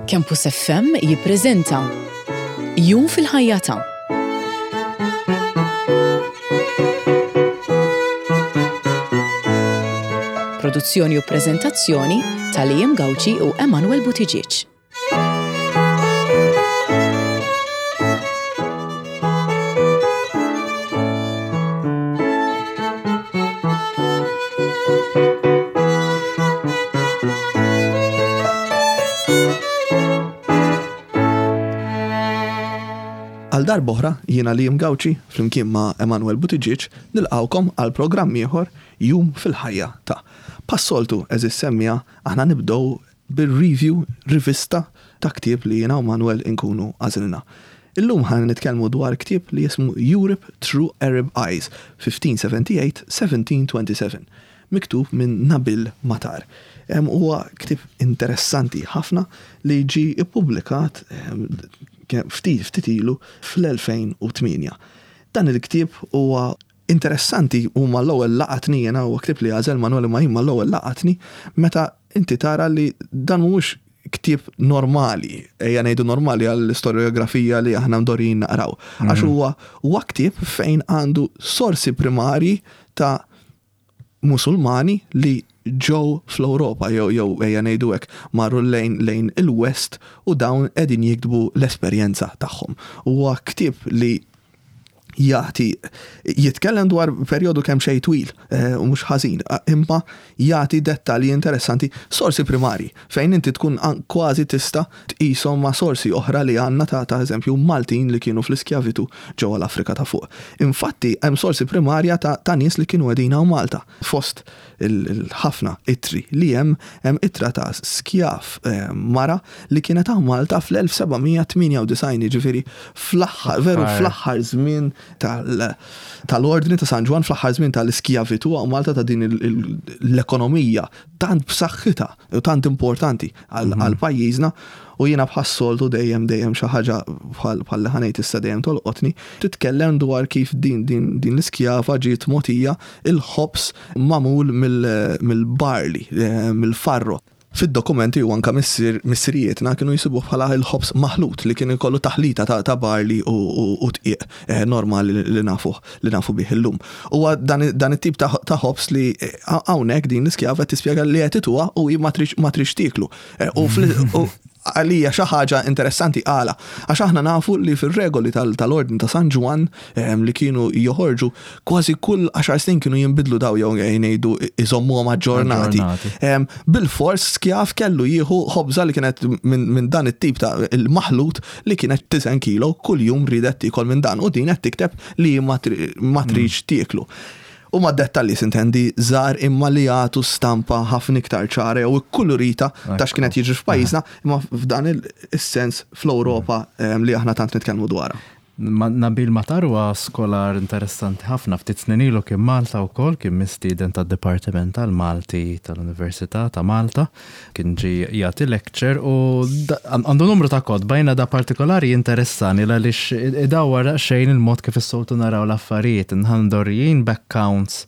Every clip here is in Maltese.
Campus FM jippreżenta Jum fil-ħajja ta' Produzzjoni u preżentazzjoni ta' Liam Gauci u Emanuel Buttigieg. Għal darb'oħra jiena Liam Gauci flimkien ma' Emanuel Buttigieg nilqgħukom għal programm ieħor Jum fil-ħajja ta'. Bħas-soltu għeżież semmiegħa aħna nibdew bir-review, rivista, ta' ktieb li jiena u Manuel inkunu għażilna. Illum ħa nitkellmu dwar ktieb li jismu Europe Through Arab Eyes, 1578-1727, miktub minn Nabil Matar. Huwa ktieb interessanti ħafna li ġie ppubblikat ftit ftit ilu fl-2008. Dan il-ktieb huwa Interessanti u mal-ewwel laqatni jiena huwa ktieb li għażel Manuel imma jien mal-ewwel laqatni meta inti tara li dan mhuwiex ktieb normali, ejja ngħidu normali għall-istorjografija li aħna mdorrijin naqraw. Għax mhm. huwa huwa ktieb fejn għandu sorsi primarji ta' Musulmani li ġew fl-Ewropa jew jew ejja ngħidu hekk marru lejn lejn il-West u dawn qegħdin jiktbu l-esperjenza tagħhom. Huwa ktieb li jagħti jitkellem dwar perjodu kemm xejn twil eh, u mhux ħażin, imma jagħti dettalji interessanti, sorsi primarji fejn inti tkun kważi tista' tqishom ma' sorsi oħra li għandna ta' ta' eżempju Maltin li kienu fl-iskjavitu ġewwa l-Afrika ta' fuq. Infatti hemm sorsi primarja ta' ta' nies li kienu qegħdin hawn Malta. Fost il-ħafna ittri li hemm, hemm ittra ta' skjav mara li kienet hawn Malta fl-1798, jiġifieri fl-aħħar, veru fl-aħħar żmien tal-Ordni ta' San Ġwann, fl-aħħar żmien tal-iskjavitu hawn Malta ta' din l-ekonomija tant b'saħħitha u tant importanti għal mhm. pajjiżna u jiena bħas-soltu dejjem dejjem xi ħaġa bħal li ħanejt issa dejjem tolqotni, titkellem dwar kif din din din l-iskjava ġiet mogħtija il-ħobż magħmul mill-barley, eh, mill-farro. Fid-dokumenti u anka missirijietna kienu jsibuh bħala il-ħobż maħlut li kien ikollu taħlita ta' barley u dqiq eh, normali li nafuh li nafu bih illum. Huwa dan it-tip ta' ħobż li eh, hawnhekk din l-iskjava qed tispjega li qed ituha u hi ma trix tieklu. Eh, u għalija xi ħaġa interessanti għala. Għax aħna nafu li fir-regoli tal-Ordni ta' San Ġwann ehm, li kienu joħorġu kważi kull 10 snin kienu jinbidlu daw jew ngħidu iżommuhom aġġornati. Ehm, bil-fors skjav kellu jieħu ħobża li kienet minn dan it-tip ta' il-maħlut li kienet 9 kilo kuljum ridet tiekol minn dan u din qed tikteb li ma tridx mm. tieklu. Huma dettalji sintendi żgħar imma li jagħtu stampa ħafna iktar ċara jew ikkulurita ta' x'kien qed jiġri f'pajjiżna imma f'dan is-sens fl-Ewropa ehm, li aħna tant nitkellmu dwarha. Nabil Matar huwa skolar interessanti ħafna. Ftit snin ilu kien Malta wkoll, kien mistieden tad-Dipartiment tal-Malti tal-Università ta' Malta. Kien ġie jagħti lecture u għandu numru ta' kotba jiena da partikolari jinteressani għaliex idawwar daqsxejn il-mod kif is-soltu naraw l-affarijiet. Nħandorjin b'accounts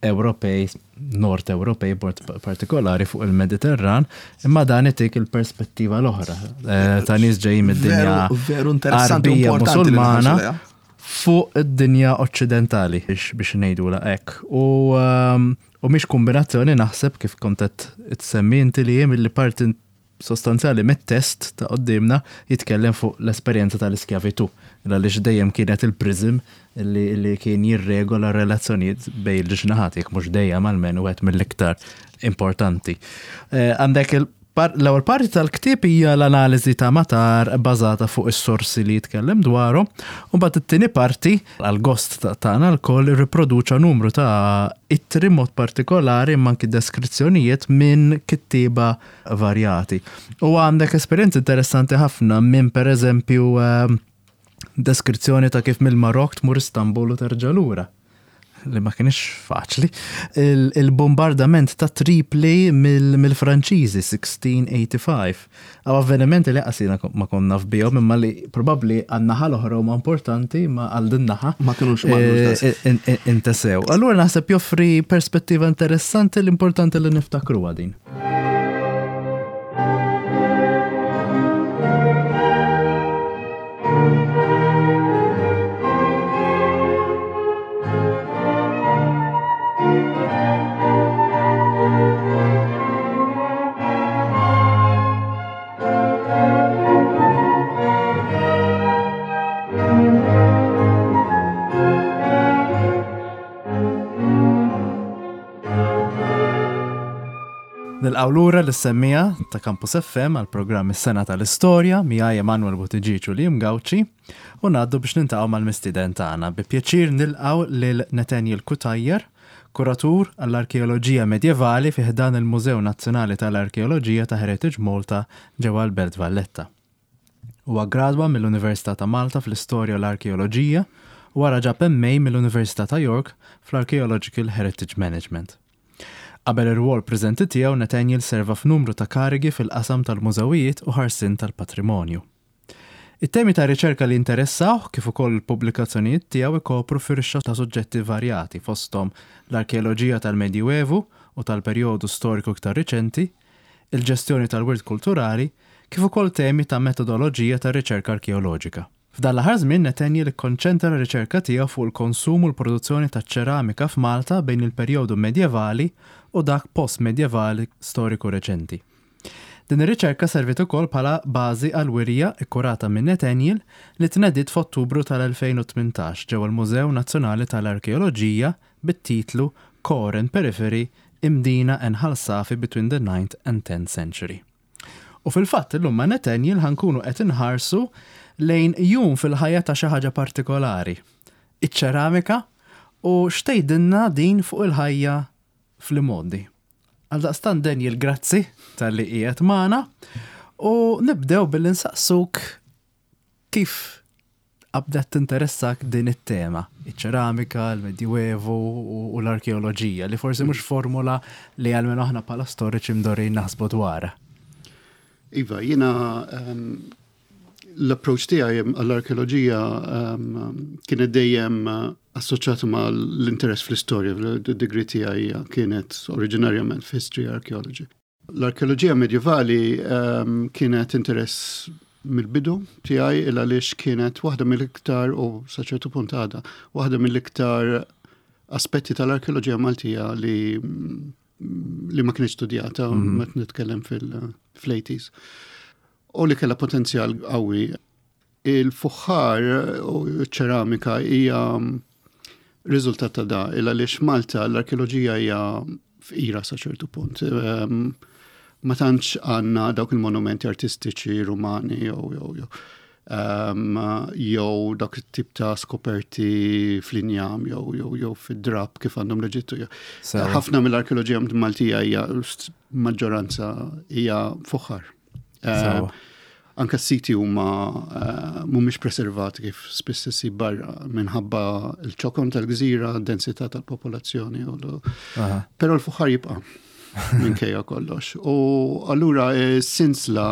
Ewropej, Nord Ewropej b'mod partikolari fuq il-Mediterran, imma dan itik il-perspettiva l-oħra eh, ta' nies ġejjin mid-dinja Veru interessanti u Arbija importanti li Musulmana nħarsu lejha. fuq id-dinja oċċidentali biex ngħidula hekk. U ehm, u mhix kombinazzjoni naħseb kif kont qed tsemmi inti li jiem li parti sostanzjali mit-test ta' quddiemna jitkellem fuq l-esperjenza tal-iskjavitù, għaliex dejjem kienet il-prism li, li kien jirregola r-relazzjonijiet bejn il-ġnaħat, jekk mhux dejjem almenu wieħed mill-iktar importanti. Eh, għandek il L-ewwel parti tal-ktieb hija l-analiżi ta' Matar bażata fuq is-sorsi li jitkellem dwarhom, u mbagħad it-tieni parti, għall-gost tagħna lkoll, irriproduċa numru ta' ittri mod partikolari imma anki deskrizzjonijiet minn kittieba varjati. U għandek esperjenzi interessanti ħafna minn pereżempju ehm, deskrizzjoni ta' kif mill-Marok tmur Istanbul u terġa' lura li ma kienx faċli, il-bombardament ta' Tripli mill-Franċiżi 1685. Għaw avvenimenti li qasina ma konna f'bihom imma li probabbli għan-naħa l-oħra huma importanti ma għal din naħa. Ma kinux eh, eh, intesew. Allura naħseb joffri perspettiva interessanti l-importanti li niftakru din. Nilqgħu lura lis-semmiegħa ta' Campus FM għall-programm Is-Sena tal-Istorja miegħi Emanuel Buttigieg u Liam Gauci u ngħaddu biex niltaqgħu mal-mistieden tagħna. Bi pjaċir nilqgħu lil Nathaniel Cutajar, kuratur għall-arkeoloġija medjevali fi ħdan il-Mużew Nazzjonali tal-Arkeoloġija ta' Heritage Malta ġewwa l-Belt Valletta. Huwa ggradwa mill-Università ta' Malta fl-Istorja u l-Arkeoloġija u wara ġab MA mill-Università ta' York fl-Archaeological Heritage Management. Qabel ir-rwol preżenti tiegħu Nathaniel serva f'numru ta' karigi fil-qasam tal-mużewijiet u ħarsien tal-patrimonju. It-temi ta' riċerka li jinteressawh kif ukoll il-pubblikazzjonijiet tiegħu jkopru firxa ta' suġġetti varjati fosthom l-arkeoloġija tal-Medjuevu u tal-perjodu storiku iktar riċenti, il-ġestjoni tal-wirt kulturali, kif ukoll temi ta' metodoloġija tar-riċerka arkeoloġika. F'dan l-aħħar żmien Nathaniel ikkonċentra r-riċerka tiegħu fuq il-konsum u l-produzzjoni taċ-ċeramika f'Malta bejn il-perjodu medjevali u dak post-medjevali storiku reċenti. Din ir-riċerka serviet ukoll bħala bażi għal wirja kkurata minn Nathaniel li tnediet f'Ottubru tal-2018 ġewwa l-Mużew Nazzjonali tal-Arkeoloġija bit-titlu Core and Periphery, Imdina and Ħal Safi Between the Ninth and Tenth Century. U fil-fatt illum ma' Nathaniel ħa nkunu qed inħarsu lejn jum fil-ħajja ta' xi ħaġa partikolari, iċ-ċeramika u x'tgħidilna din fuq il-ħajja fl-imgħoddi. Għaldaqstant Daniel grazzi talli qiegħed magħna u nibdew billi nsaqsuk kif qabdet tinteressak din it-tema, iċ-ċeramika, il-Medjuevu u l-arkeoloġija, li forsi mhux formula li għalmenu aħna bħala storiċi mdorrijin naħsbu dwarha. Iva, jiena ehm, l-approach tiegħi għall-arkeoloġija ehm, kienet dejjem eh, assoċjata ma' l-interess fl-istorja, d-degree tiegħi kienet oriġinarjament f'History Archaeology. L-arkeoloġija medjevali ehm, kienet interess mill-bidu tiegħi il għaliex kienet waħda mill-iktar u sa ċertu punt għadha waħda mill-iktar aspetti tal-arkeoloġija Maltija li li ma kienx studjata mm. meta nitkellem fil-80s. U li kellha potenzjal qawwi Il-fuħħar u ċ-ċeramika hija riżultat ta' da, il għaliex Malta l-arkeoloġija hija fqira sa ċertu punt. Ehm, ma tantx għandna dawk il-monumenti artistiċi rumani jew jew jew ehm, jew dak it-tip ta' skoperti fl-injam jew jew jew fid-drab kif għandhom l-Eġittu. Ħafna mill-arkeoloġija Maltija hija maġġoranza hija fuħħar. Eh, anka s-siti huma eh, mhumiex preservati kif spiss issib barra minħabba l-ċokon tal-gżira, densità tal-popolazzjoni. Però l-fuħar jibqa' minkejja kollox. U allura eh, sinsla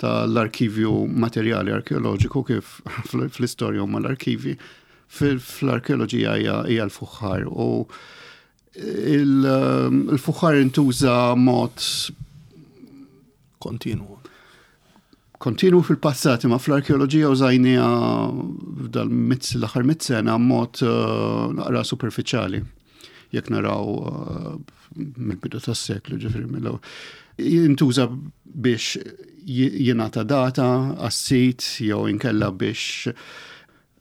tal-arkivju materjali arkeoloġiku kif fl-istorja huma l-arkivi, fl-arkeoloġija hija l-fuħar. U Il-fuħar intuża mod kontinwu. Kontinwu fil-passat, imma fl-arkeoloġija użajnija f'dal l-aħħar mit sena mod eh, naqra superfiċjali. Jekk naraw eh, mill-bidu tas-seklu, ġifieri mill Jintuża biex jingħata data għas-sit jew inkella biex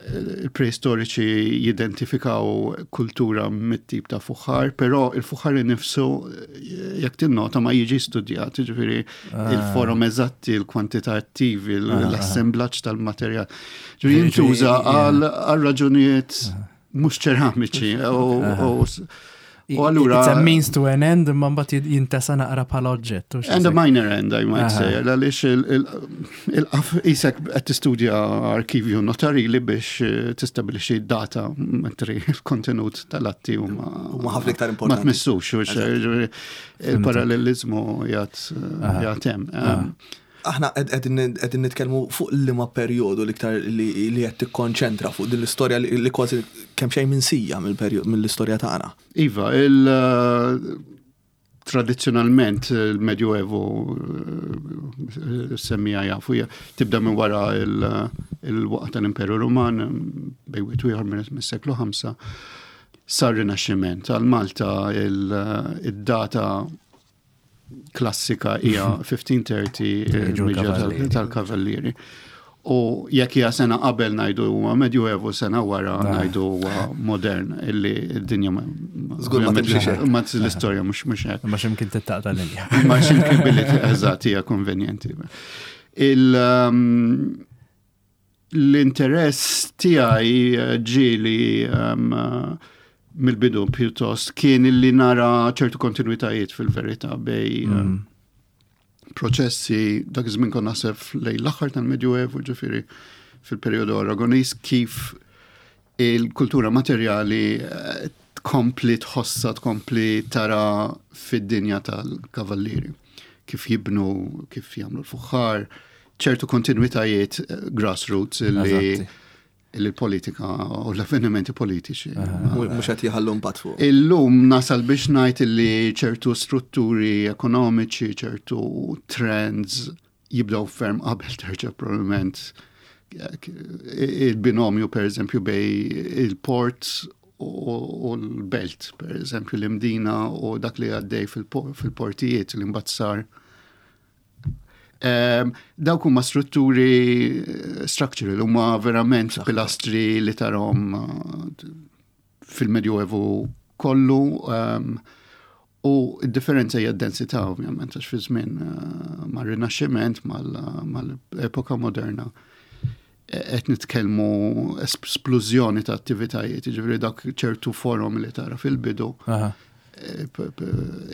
il-preistoriċi jidentifikaw kultura mit-tip ta' fuħħar, però il-fuħħar innifsu jekk tinnota ma jiġi studjat, ġifieri ah. il-forom eżatti, il-kwantitattivi, ah, ah. l-assemblaġġ tal-materjal. Ġifieri jintuża għal raġunijiet ah. mhux ċeramiċi u allura. It's a means to an end, imma mbagħad jintesa naqra bħala oġġett. And a minor end, I might say, għaliex il-qaf isek qed tistudja arkivju notarili biex eh, tistabilixxi data mentri il-kontenut tal-atti huma huma ħafna iktar importanti. Ma tmissux, il-parallelizmu jgħat hemm. Aħna qegħdin nitkellmu fuq liema perjodu l-iktar li qed tikkonċentra fuq din l-istorja li kważi kemm xejn minsija mill-istorja tagħna. Iva, il tradizzjonalment il-Medjuevu eh, semmija jafu tibda minn wara il-waqt tal-Imperu Ruman bejn wieħed ieħor mis-seklu 5 sar Rinaxximent. Għal Malta il-data klassika hija 1530 il-miġja tal-Kavallieri. U jekk hija sena qabel ngħidu huwa Medjuevu, sena wara ngħidu huwa modern illi d-dinja ma Żgur ma timxix hekk. Ma l-istorja mhux mhux hekk. Ma x'imkien tittaqta' linja. Ma x'imkien billi eżatt hija konvenjenti. Il um, l-interess tiegħi eh, ġieli um, mill-bidu pjuttost kien illi nara ċertu kontinuitajiet fil-verità bej mm. Proċessi dak iż-żmien kont naħseb lejn l-aħħar tal-Medjuevu, ġifieri fil-perjodu Aragonis, kif il-kultura materjali eh, tkompli tħossa, tkompli tara fid-dinja tal-kavallieri. Kif jibnu, kif jagħmlu l-fuħħar, ċertu kontinuitajiet eh, grassroots li il-politika u l-avvenimenti politiċi. Mhux qed jħallu impatt fuq. Illum nasal biex ngħid li ċertu strutturi ekonomiċi, ċertu trends jibdew ferm qabel terġa' probabbilment il-binomju per eżempju bej il-port u l-belt, per eżempju l-Imdina u dak li għaddej fil-portijiet li mbagħad sar Dawk huma strutturi eh, structural, huma verament pilastri li tarhom eh, fil-Medjuevu kollu. Ehm, u d-differenza hija d-densità ovvjament għax fi żmien eh, mar-Rinaxximent mal-epoka moderna qed nitkellmu esplużjoni ta' attivitajiet, jiġifieri dak ċertu forom li tara fil-bidu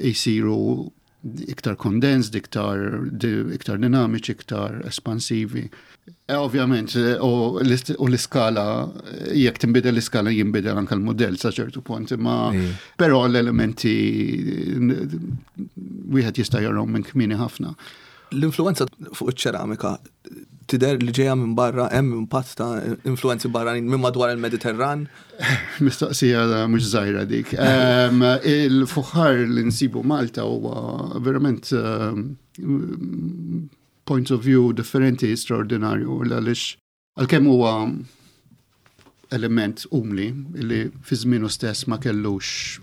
jsiru iktar condensed, iktar, iktar dinamiċi, iktar espansivi. E, ovvjament, e, u l-iskala, jekk tinbidel l-iskala jinbidel anke l-modell sa ċertu punt, imma però l-elementi wieħed jista' jarahom minn kmieni ħafna. L-influenza fuq iċ-ċeramika tidher li ġejja minn barra, hemm impatt ta' influenzi barranin minn madwar il-Mediterran? Mistoqsija mhux żgħira dik. Il-fuħħar li nsibu Malta huwa verament point of view differenti straordinarju għaliex Għalkemm huwa element umli li fi żmienu stess ma kellux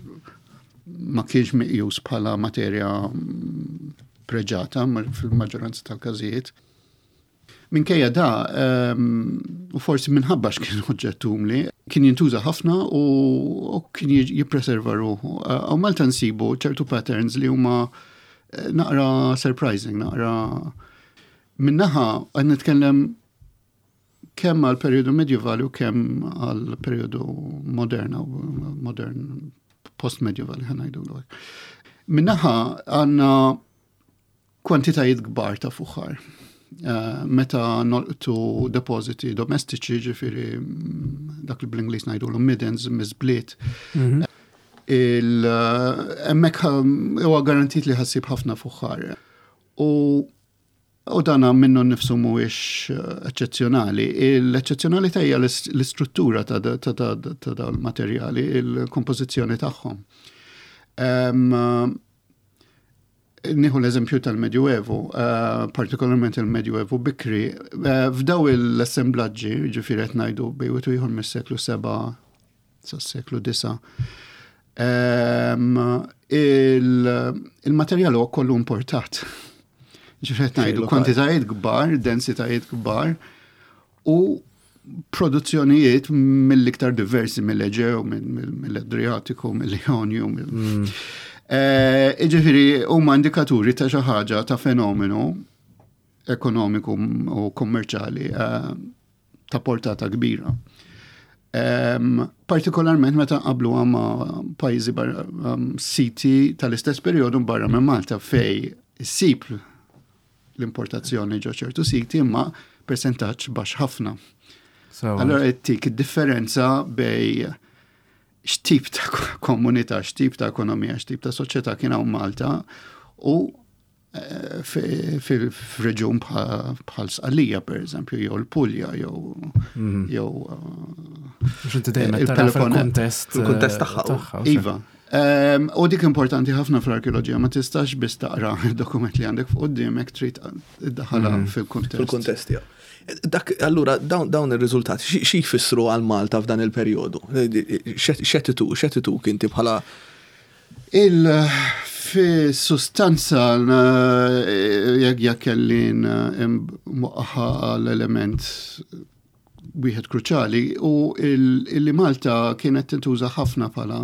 ma kienx meqjus bħala materja preġata fil-maġġoranza tal-każijiet. Minkejja da, ehm, u forsi minħabba x'kien oġġett umli, kien jintuża ħafna u kien jippreserva ruħu. U Malta nsibu ċertu patterns li huma eh, naqra surprising, naqra Min-naħa qed nitkellem kemm għal perjodu medjevali u kemm għal perjodu moderna u modern post-medjevali ħa ngħidu l Min-naħa għandna kwantitajiet kbar ta' fuħar. Eh, meta nolqtu depositi domestiċi, ġifiri mm, dak li bl-Inglis ngħidu l middens, miżbliet, mhm. il-emmek eh, huwa garantit li ħassib ħafna fuħar. U U dana minnu nnifsu mhuwiex eh, eċċezzjonali. L-eċċezzjonalità hija l-istruttura ta' dawn il-materjali, il-kompożizzjoni tagħhom. Nieħu l-eżempju tal-Medjuevu, eh, partikolarment il-Medjuevu bikri, eh, f'daw l-assemblaġġi, ġifieri qed ngħidu bejn ieħor mis-seklu 7 sas-seklu 9. Ehm, il-materjal huwa kollu importat. Ġifieri ngħidu kwantitajiet kbar, densitajiet kbar u produzzjonijiet mill-iktar diversi mill-Eġew, mill-Adriatiku, mill-Ionju. Mm. Eh, ġifieri huma indikaturi ta' xi ħaġa ta' fenomenu ekonomiku u kommerċali eh, ta' portata kbira. Um, partikolarment meta qablu ma' pajjiżi barra um, siti tal-istess perjodu barra minn Malta fej issib l-importazzjoni ġo ċertu siti imma percentaġġ baxx ħafna. So, allora tik id-differenza bej x'tip ta' komunità, x'tip ta' ekonomija, x'tip ta' soċjetà kien hawn Malta u fil-reġun bħal Sqallija, per eżempju, jew l-Pulja, jew mhm. jew eh, il-kontest il-kontest tagħha. Iva. Ehm, u dik importanti ħafna fl-arkeoloġija, ma tistax biss taqra il-dokument li għandek fuq quddiemek trid iddaħħalha mhm. fil-kuntest. Fil-kuntest, ja. Dak, allura, dawn ir-riżultati, xi jfissru għal Malta f'dan il-perjodu? X'qed ituk inti bħala Il Fi sustanza jekk jekk kelli mwaqqaħa għal element wieħed kruċali u illi Malta kienet tintuża ħafna bħala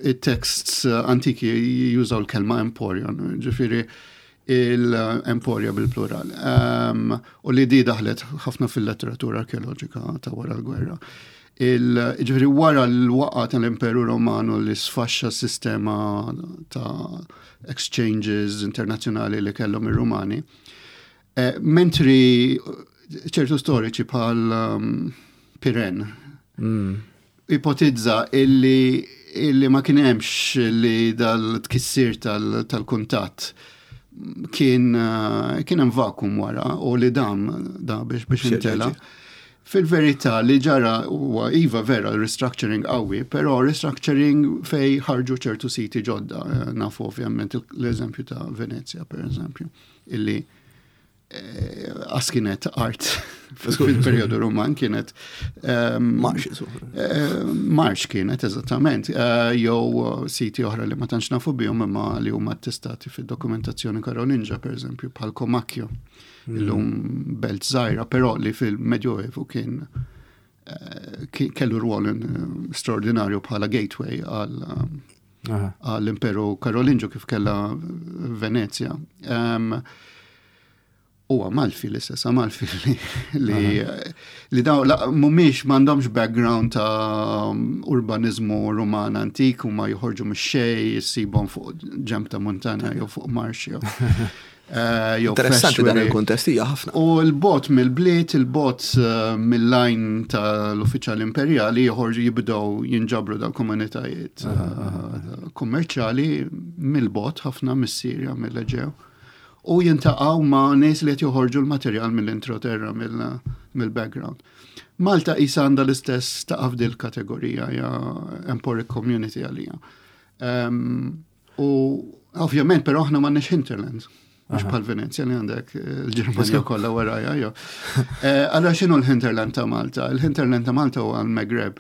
it-texts antiki jużaw l-kelma emporion, ġifieri il-emporia bil-plural. U li di daħlet ħafna fil-letteratura arkeoloġika ta' wara l-gwerra. Ġifieri wara l-waqa tal-Imperu Romanu li sfaxxa s-sistema ta' exchanges internazzjonali li kellhom ir-Rumani, mentri ċertu storiċi bħal Piren ipotizza illi ma kien hemmx li dal-tkissir tal-kuntatt kien hemm vakum wara u li dam da biex intela. Fil-verità li ġara huwa iva vera restructuring qawwi, però restructuring fej ħarġu ċertu siti ġodda, nafu ovvjament l-eżempju ta' Venezia per eżempju, illi għas kienet art fil-periodu Roman kienet Marx, Marx kienet eżattament, jew siti oħra li ma tantx nafu bihom imma li huma attestati fid-dokumentazzjoni Karolinġa per eżempju bħal Comacchio, illum belt żgħira, però li fil-Medjoevu kien kellu rwol straordinarju bħala gateway għall-Imperu Karolinġu kif kella Venezia. U Amalfi l-istess, Amalfi li daw mhumiex m'għandhomx background ta' urbanizmu Ruman antik u ma joħorġu mix-xejn, issibhom fuq ġemp ta' montana jew fuq marx jew Interessanti dan il-kuntest hija ħafna. U l-bot mill-bliet, il-bot mill-lajn tal-uffiċjali imperjali joħorġu jibdew jinġabru dal-komunitajiet kummerċjali mill-bot ħafna mis-Sirja, mill-Eġew. U jintaqgħu ma' nies li qed joħorġu l-materjal mill-introterra, mill-background. Malta qisha għandha l-istess taqa' f'dil kategorija, hija emporic community għalija. U ovvjament, però aħna m'għandniex hinterland. Mhux bħal Venezia li għandek il-Ġermanja kollha warajja, jo. Allora x'inhu l-hinterland ta' Malta? Il-hinterland ta' Malta huwa l-Maghreb.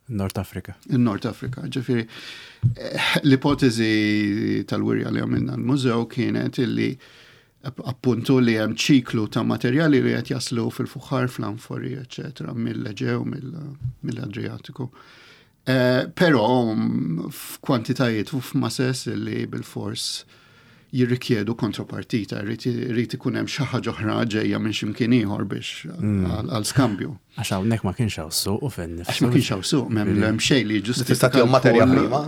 Nord Afrika. Il-Nord Afrika, ġifieri l-ipotezi tal-wirja li għamilna l-mużew kienet illi appuntu li hemm ċiklu ta' materjali li qed jaslu fil-fuħar, fl-anfori, eċetera, mill-Eġew, mill-Adriatiku. Però f'kwantitajiet u f'masses li bil-fors jirrikjedu kontrapartita, jrid ikun hemm xi ħaġa oħra ġejja minn x'imkien ieħor biex għal skambju. Għax hawnhekk ma kienx hawn suq u fejn Għax ma kienx hawn suq, m'hemm hemm xejn li ġustifika. Tista' tihom materja prima,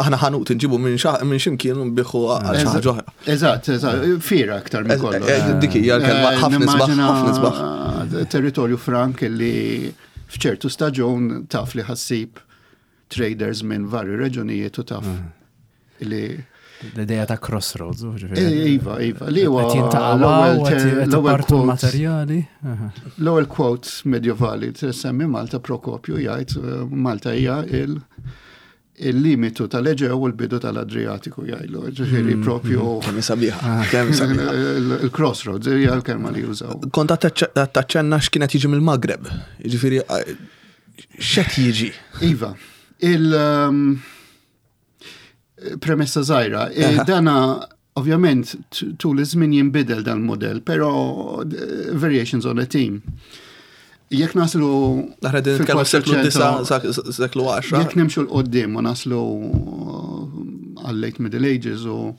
aħna ħanut nġibu minn x'imkien u nbiħu għal xi ħaġa oħra. Eżatt, eżatt, fiera aktar minn kollox. Dik hija l-kelma ħafna isbaħ, ħafna isbaħ. Territorju frank li f'ċertu staġun taf li ħassib traders minn vari reġunijiet u taf li L-ideja ta' crossroads, ġifieri. Iva, iva, li huwa l-ewwel quote materjali. L-ewwel quote medjevali semmi Malta Prokopju jgħid Malta hija il-limitu tal-Eġew u l-bidu tal-Adriatiku jgħidlu, ġifieri propju. Kemm sabiħa, kemm sabiħa. Il-crossroads hija l-kelma li jużaw. Kont taċċenna x'kienet jiġi mill-Maghreb, ġifieri x'qed jiġi? Iva, il- premessa żgħira, dana ovvjament tul iż-żmien jinbidel dan il-modell, però variations on a theme. Jekk naslu Aħna din nitkellmu seklu 9, seklu 10. Jekk nimxu l-qoddim u naslu għal late Middle Ages u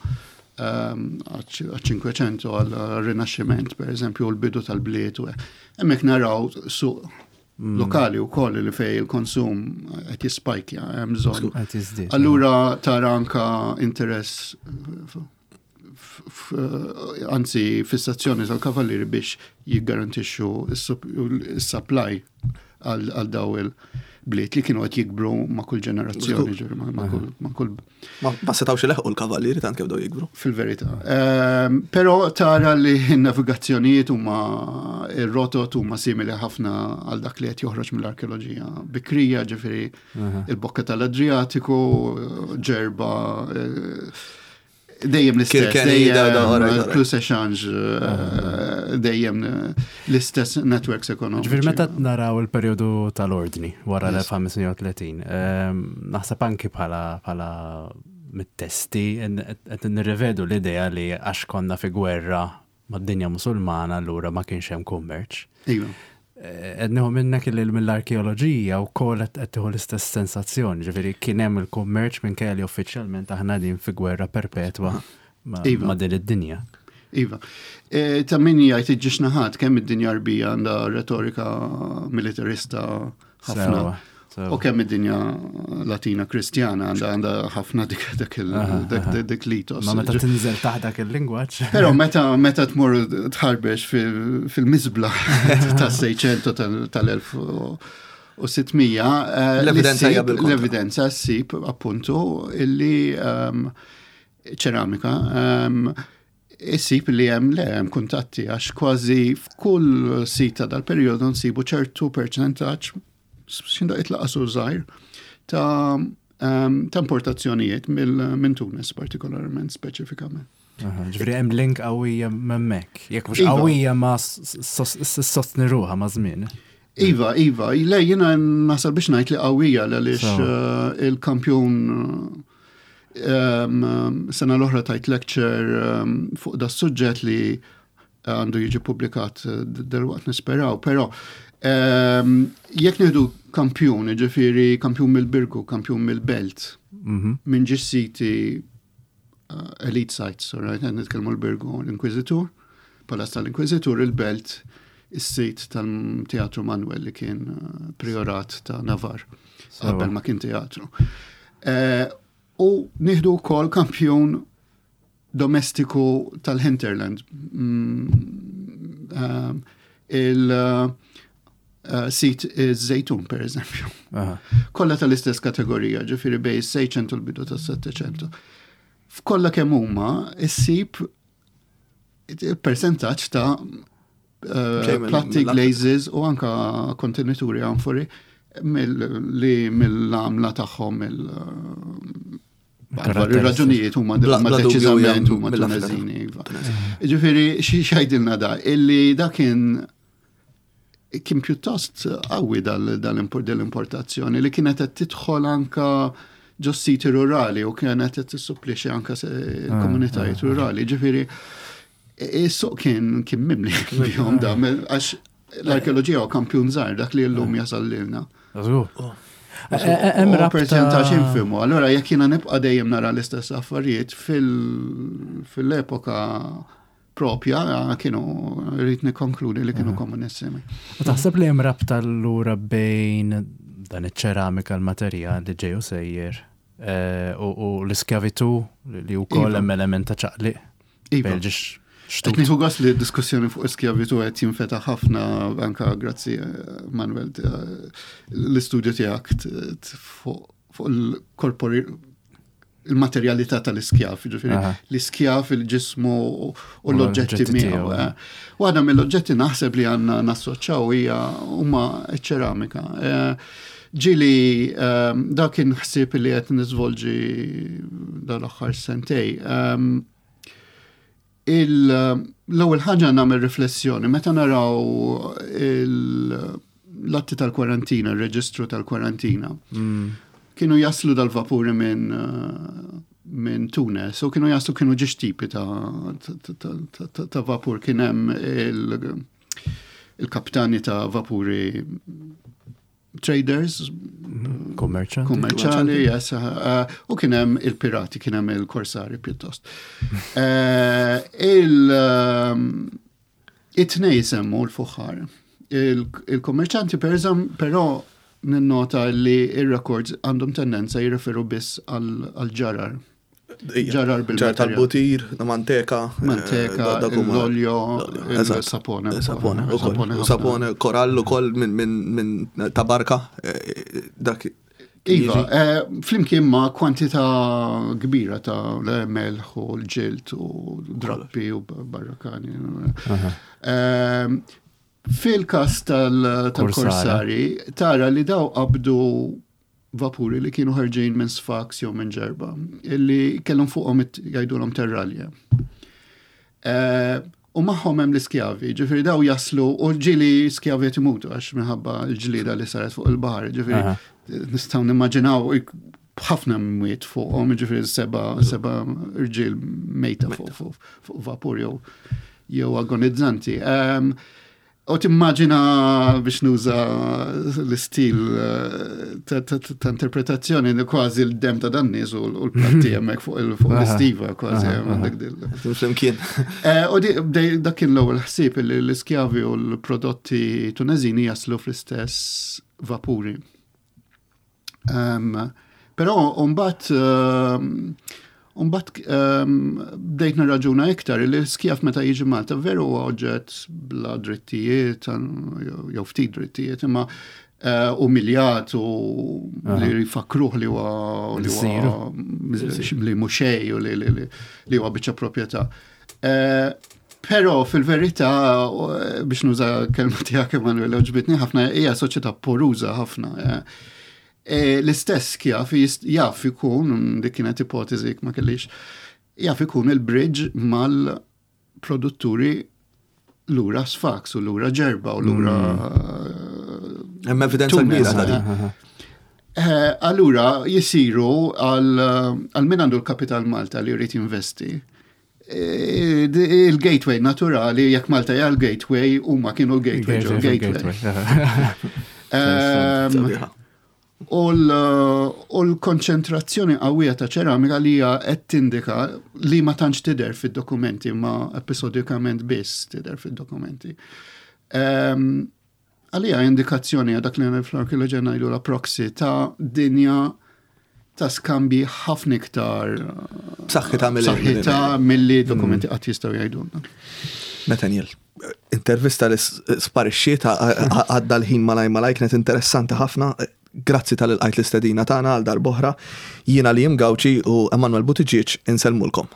għal-500 għal-Rinaxximent, per eżempju, l-bidu tal-bliet u hemmhekk naraw suq lokali u koll li fej il-konsum qed jispajkja, hemm bżonn. Allura tara anka interess anzi fissazzjoni tal-kavallieri biex jiggarantixxu s-supply għal daw il-bliet li kienu qed jikbru ma' kull ġenerazzjoni, ġifieri, ma' kull Ma setgħux ileħqu l-kavallieri tant kemm bdew jikbru. Fil-verità. Però tara li n-navigazzjonijiet huma ir-rotot huma simili ħafna għal dak li qed joħroġ mill-arkeoloġija bikrija, ġifieri il-bokka tal-Adriatiku, Ġerba. Dejjem l-istess. Dejjem plus échange, eh, dejjem l-istess networks ekonomiċi. Ġifieri meta naraw il-perjodu tal-ordni wara l-1530, ehm, naħseb anki bħala bħala mit-testi qed nirrivedu l-idea li għax konna fi gwerra mad-dinja Musulmana allura ma kienx hemm kummerċ. Iva. Eh, qed nieħu minnek li mill-arkeoloġija wkoll qed tieħu l-istess sensazzjoni, ġifieri kien hemm il-kummerċ minkejja li uffiċjalment aħna din fi gwerra perpetwa ma' iva. din id-dinja. Iva. E, ta' min jgħid iġġiex naħat kemm id-dinja Arbija għandha retorika militarista ħafna. U kemm id-dinja Latina Kristjana għandha għandha ħafna dik dak dik l-itos. Ma meta tinżel taħt dak il-lingwaġġ. Però meta meta tmur tħarbex fil-miżbla tas-600 tal-1600 eh, l-evidenza l-evidenza ssib appuntu illi ehm, ċeramika ehm, issib li hemm le hemm kuntatti għax kważi f'kull sita dal-perjodu nsibu ċertu perċentaġġ x'indaqqiet laqas hu żgħir ta' ehm, ta' importazzjonijiet minn Tunis partikolarment speċifikament. Ġifieri hemm link qawwija m'hemmhekk. Jekk mhux iva. qawwija ma sostni ruħha ma' żmien. Iva, iva, le jiena nasal biex ngħid li qawwija għaliex eh, il-kampjun ehm, sena l-oħra tajt lecture ehm, fuq da suġġett li għandu jiġi publikat eh, delwaqt nisperaw, però ehm, jekk nieħdu kampjun, ġifieri kampjun mill-Birgu, kampjun mill-Belt, mhm. minn ġi siti eh, elite sites, right, nitkellmu l-Birgu, l-Inkwizitur, Palazz tal-Inkwizitur, il-Belt, is-sit tal-Teatru Manuel li kien eh, priorat ta' Navar, qabel ma kien teatru. U nieħdu wkoll kampjun domestiku tal-hinterland. Mm, ehm, il-sit eh, iż-żejtun, per eżempju. Kollha tal-istess kategorija, ġifieri bej is-600 u l-bidu tas-700. F'kollha kemm huma issib percentaġġ ta' eh, platti glazes u anka kontenituri anfori li mill-għamla tagħhom mill Ir-raġunijiet huma deċiżament huma Tuneżini. Iva. Ġifieri xi xajdilna da illi da kien kien pjuttost qawwi dal-importazzjoni li kienet qed tidħol anka ġo siti rurali u kienet qed tissupplixxi anka ah, komunitajiet ah, ah. rurali. Ġifieri is-suq kien kien mimli bihom da għax L-arkeoloġija u kampjun żgħar dak li llum jasal lilna. Oh. Hemm percentaġġ infimu. Allora jekk jiena nibqa' dejjem nara l-istess affarijiet fil-epoka propja kienu rrid nikkonkludi li kienu komunissimi. U taħseb li hemm rabta allura bejn dan iċ-ċeramika l-materjal li ġej u sejjer eh, u l-iskjavitu li wkoll iva. hemm element ta' ċaqliq. Iva. Qed nieħu gost li d-diskussjoni fuq iskjavitu qed jinfetaħ ħafna anka grazzi eh, Manuel eh, l-istudju tiegħek fuq il-korpori il-materjalità tal-iskjav, ġifieri l-iskjav, il-ġismu u l-oġġetti miegħu. Eh. Waħda mill-oġġetti naħseb li għandna nassoċċaw hija huma ċ-ċeramika. Ġili dak kien ħsieb li qed niżvolġi dal-aħħar sentej. L-ewwel ħaġa nagħmel riflessjoni meta naraw l-atti tal-kwarantina, il-reġistru tal-kwarantina. Mm. Kienu jaslu dal-vapuri minn minn Tunis u kienu jaslu kienu ġiex tipi ta', ta, ta, ta vapur kien hemm il-kaptani ta' vapuri traders, Kummerċanti. Kummerċanti, yes. Eh, u kien hemm il-pirati, kien hemm il-korsari pjuttost. Eh, il eh, it-tnej semmu l-fuħħar. Il-kummerċanti per però ninnota li il-records għandhom tendenza jirreferu biss għal-ġarar. Ġarar bil Ġarar tal-butir, manteka. Manteka, eh, l-olio, sapone. Sapone, sapone, korallu kol minn tabarka. Eh, dak. Iva, eh, flimkien ma' kwantità kbira ta' melħ u l-ġilt u drappi u barrakani. Fil-kas tal-korsari, tara li daw qabdu vapuri li kienu ħarġin minn Sfax jew minn Ġerba, illi kellhom fuqhom jgħidulhom terralja. Eh, u magħhom hemm l-iskjavi, ġifieri daw jaslu u ġieli skjavi qed imutu għax minħabba l-ġlieda li saret fuq il-baħar, ġifieri nistgħu nimmaġinaw ħafna mwiet fuqhom, ġifieri seba seba irġiel mejta fuq vapur jew jew agonizzanti. Ehm, U timmaġina biex nuża l-istil eh, ta' interpretazzjoni kważi l-dem ta' dan nies u l-platti hemmhekk fuq l-istiva kważi għandek dil. Flimkien. Eh, u dak kien l-ewwel ħsieb li l-iskjavi u l-prodotti Tuneżini jaslu fl-istess vapuri. Però mbagħad mbagħad bdejt nirraġuna iktar li l-skjaf meta jiġi Malta veru huwa oġġett bla drittijiet jew ftit drittijiet imma eh, umiljat u li jfakruh li huwa li huwa li mhux xejn u li huwa biċċa proprjetà. Eh, però fil-verità, eh, biex nuża kelma tiegħek Emanuel, ġbitni ħafna hija soċjetà poruża ħafna. Eh, l-istess kjaf jaf ikun, dik kienet ipotezi ma kellix, jaf ikun il-bridge mal-produtturi lura Sfax u lura Ġerba u lura. Mm. Hemm evidenza kbira ta' din. Allura jisiru għal min għandu l-kapital Malta li jrid jinvesti. Eh, il-gateway naturali, jekk Malta hija l-gateway, huma kienu l-gateway ġo gateway. Ehm, u l-konċentrazzjoni qawwija ta' ċeramika li hija qed tindika li ma tantx tidher fid-dokumenti, ma episodikament biss tidher fid-dokumenti. Ehm, Għalija indikazzjoni għal dak li fl-arkeoloġija ngħidu la proxy ta' dinja ta' skambji ħafna iktar b'saħħitha b'saħħitha milli dokumenti mm. qatt jistgħu jgħidulna. Nathaniel, intervista li sparixxiet għadda l-ħin malaj malaj kienet interessanti ħafna. Grazzi tal-ilqajt l-istedina tagħna għal darb'oħra. Jiena li Gawċi u Emanuel Buttigieg insellmulkom.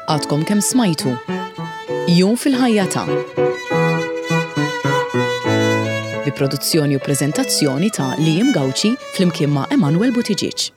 Għadkom kemm smajtu Jum fil-ħajja ta' bi produzzjoni u preżentazzjoni ta' Liam Gauci flimkien ma' Emanuel Buttigieg.